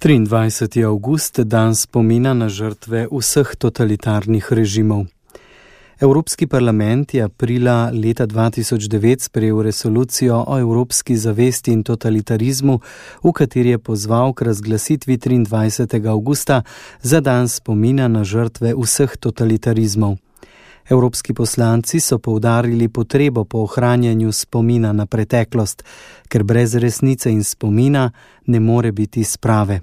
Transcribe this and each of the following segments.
23. avgust, dan spomina na žrtve vseh totalitarnih režimov. Evropski parlament je aprila leta 2009 sprejel resolucijo o evropski zavesti in totalitarizmu, v kateri je pozval k razglasitvi 23. avgusta za dan spomina na žrtve vseh totalitarizmov. Evropski poslanci so poudarili potrebo po ohranjanju spomina na preteklost, ker brez resnice in spomina ne more biti sprave.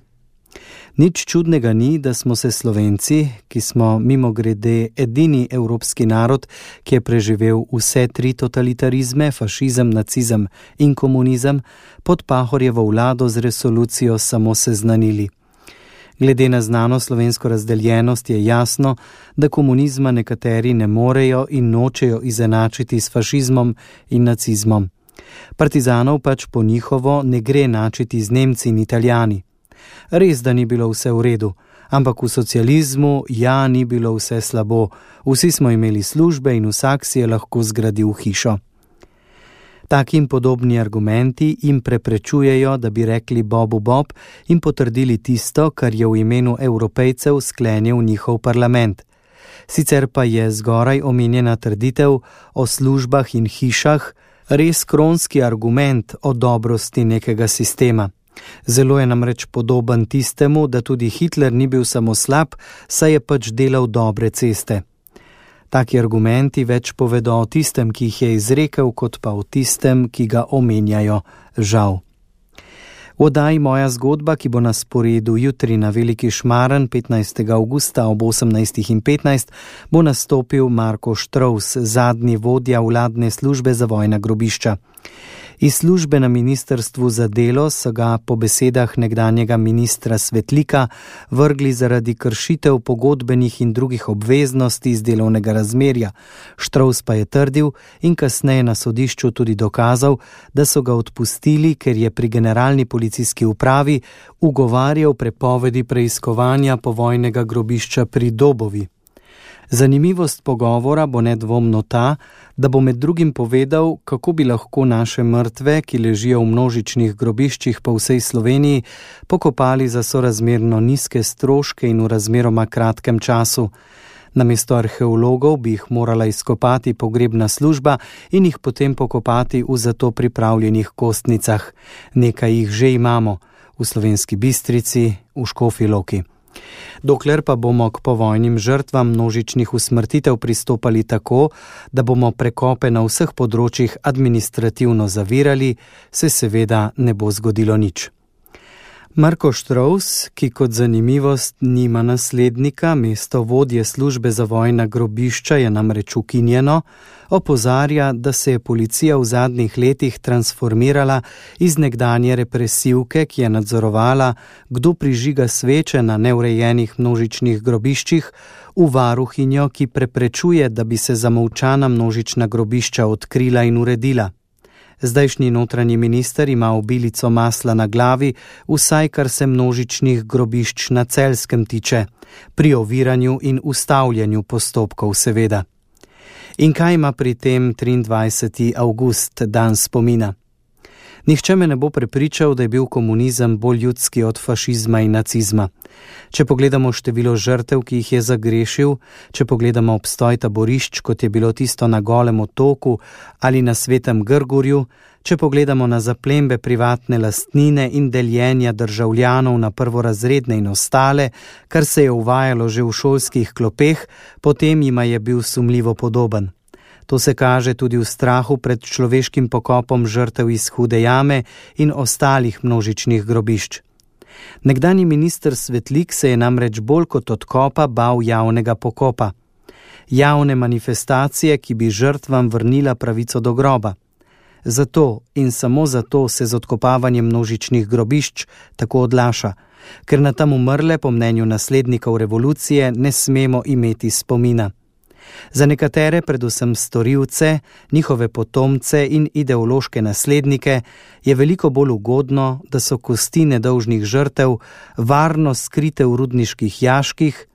Nič čudnega ni, da smo se Slovenci, ki smo mimogrede edini evropski narod, ki je preživel vse tri totalitarizme, fašizem, nacizem in komunizem, pod Pahorjevo vlado z resolucijo samo seznanili. Glede na znano slovensko razdeljenost je jasno, da komunizma nekateri ne morejo in nočejo izenačiti s fašizmom in nacizmom. Partizanov pač po njihovo ne gre enačiti z Nemci in Italijani. Res, da ni bilo vse v redu, ampak v socializmu ni bilo vse slabo, vsi smo imeli službe in vsak si je lahko zgradil hišo. Taki in podobni argumenti jim preprečujejo, da bi rekli Bobu Bob in potrdili tisto, kar je v imenu Evropejcev sklenil njihov parlament. Sicer pa je zgoraj omenjena trditev o službah in hišah res kronski argument o dobrosti nekega sistema. Zelo je namreč podoben tistemu, da tudi Hitler ni bil samo slab, saj je pač delal dobre ceste. Taki argumenti več povedo o tistem, ki jih je izrekel, kot pa o tistem, ki ga omenjajo, žal. V oddaji Moja zgodba, ki bo na sporedu jutri na Veliki Šmaren 15. avgusta ob 18:15, bo nastopil Marko Štrovs, zadnji vodja vladne službe za vojna grobišča. Iz službe na ministrstvu za delo so ga po besedah nekdanjega ministra Svetlika vrgli zaradi kršitev pogodbenih in drugih obveznosti iz delovnega razmerja. Štrovs pa je trdil in kasneje na sodišču tudi dokazal, da so ga odpustili, ker je pri generalni policijski upravi ugovarjal prepovedi preiskovanja povojnega grobišča pri Dobovi. Zanimivost pogovora bo nedvomno ta, da bo med drugim povedal, kako bi lahko naše mrtve, ki ležijo v množičnih grobiščih po vsej Sloveniji, pokopali za sorazmerno nizke stroške in v razmeroma kratkem času. Namesto arheologov bi jih morala izkopati pogrebna služba in jih potem pokopati v za to pripravljenih kostnicah. Nekaj jih že imamo, v Slovenski Bistrici, v Škofji Loki. Dokler pa bomo k povojnim žrtvam množičnih usmrtitev pristopali tako, da bomo prekope na vseh področjih administrativno zavirali, se seveda ne bo zgodilo nič. Marko Štrovs, ki kot zanimivost nima naslednika, mesto vodje službe za vojna grobišča je namreč ukinjeno, opozarja, da se je policija v zadnjih letih transformirala iz nekdanje represivke, ki je nadzorovala, kdo prižiga sveče na neurejenih množičnih grobiščih, v varuhinjo, ki preprečuje, da bi se zamolčana množična grobišča odkrila in uredila. Zdajšnji notranji minister ima obilico masla na glavi, vsaj kar se množičnih grobišč na Celjskem tiče, pri oviranju in ustavljanju postopkov seveda. In kaj ima pri tem 23. avgust, dan spomina? Nihče me ne bo prepričal, da je bil komunizem bolj ljudski od fašizma in nacizma. Če pogledamo število žrtev, ki jih je zagrešil, če pogledamo obstoj taborišč, kot je bilo tisto na Golem otoku ali na Svetem Grgurju, če pogledamo na zaplembe privatne lastnine in deljenja državljanov na prvorazredne in ostale, kar se je uvajalo že v šolskih klopeh, potem jima je bil sumljivo podoben. To se kaže tudi v strahu pred človeškim pokopom žrtev iz Hude jame in ostalih množičnih grobišč. Nekdanji minister Svetlik se je namreč bolj kot odkopa bal javnega pokopa. Javne manifestacije, ki bi žrtvam vrnila pravico do groba. Zato in samo zato se z odkopavanjem množičnih grobišč tako odlaša, ker na tam umrle, po mnenju naslednikov revolucije, ne smemo imeti spomina. Za nekatere, predvsem storilce, njihove potomce in ideološke naslednike, je veliko bolj ugodno, da so kosti nedolžnih žrtev varno skrite v rudniških jaških,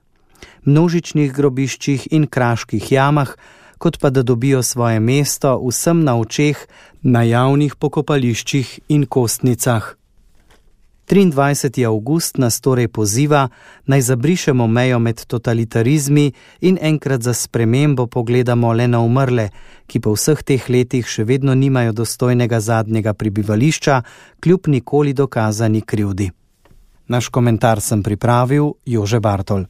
množičnih grobiščih in kraških jamah, kot pa da dobijo svoje mesto vsem na očeh na javnih pokopališčih in kostnicah. 23. avgust nas torej poziva, naj zabrišemo mejo med totalitarizmi in enkrat za spremembo pogledamo le na umrle, ki po vseh teh letih še vedno nimajo dostojnega zadnjega prebivališča, kljub nikoli dokazani krivdi. Naš komentar sem pripravil Jože Bartol.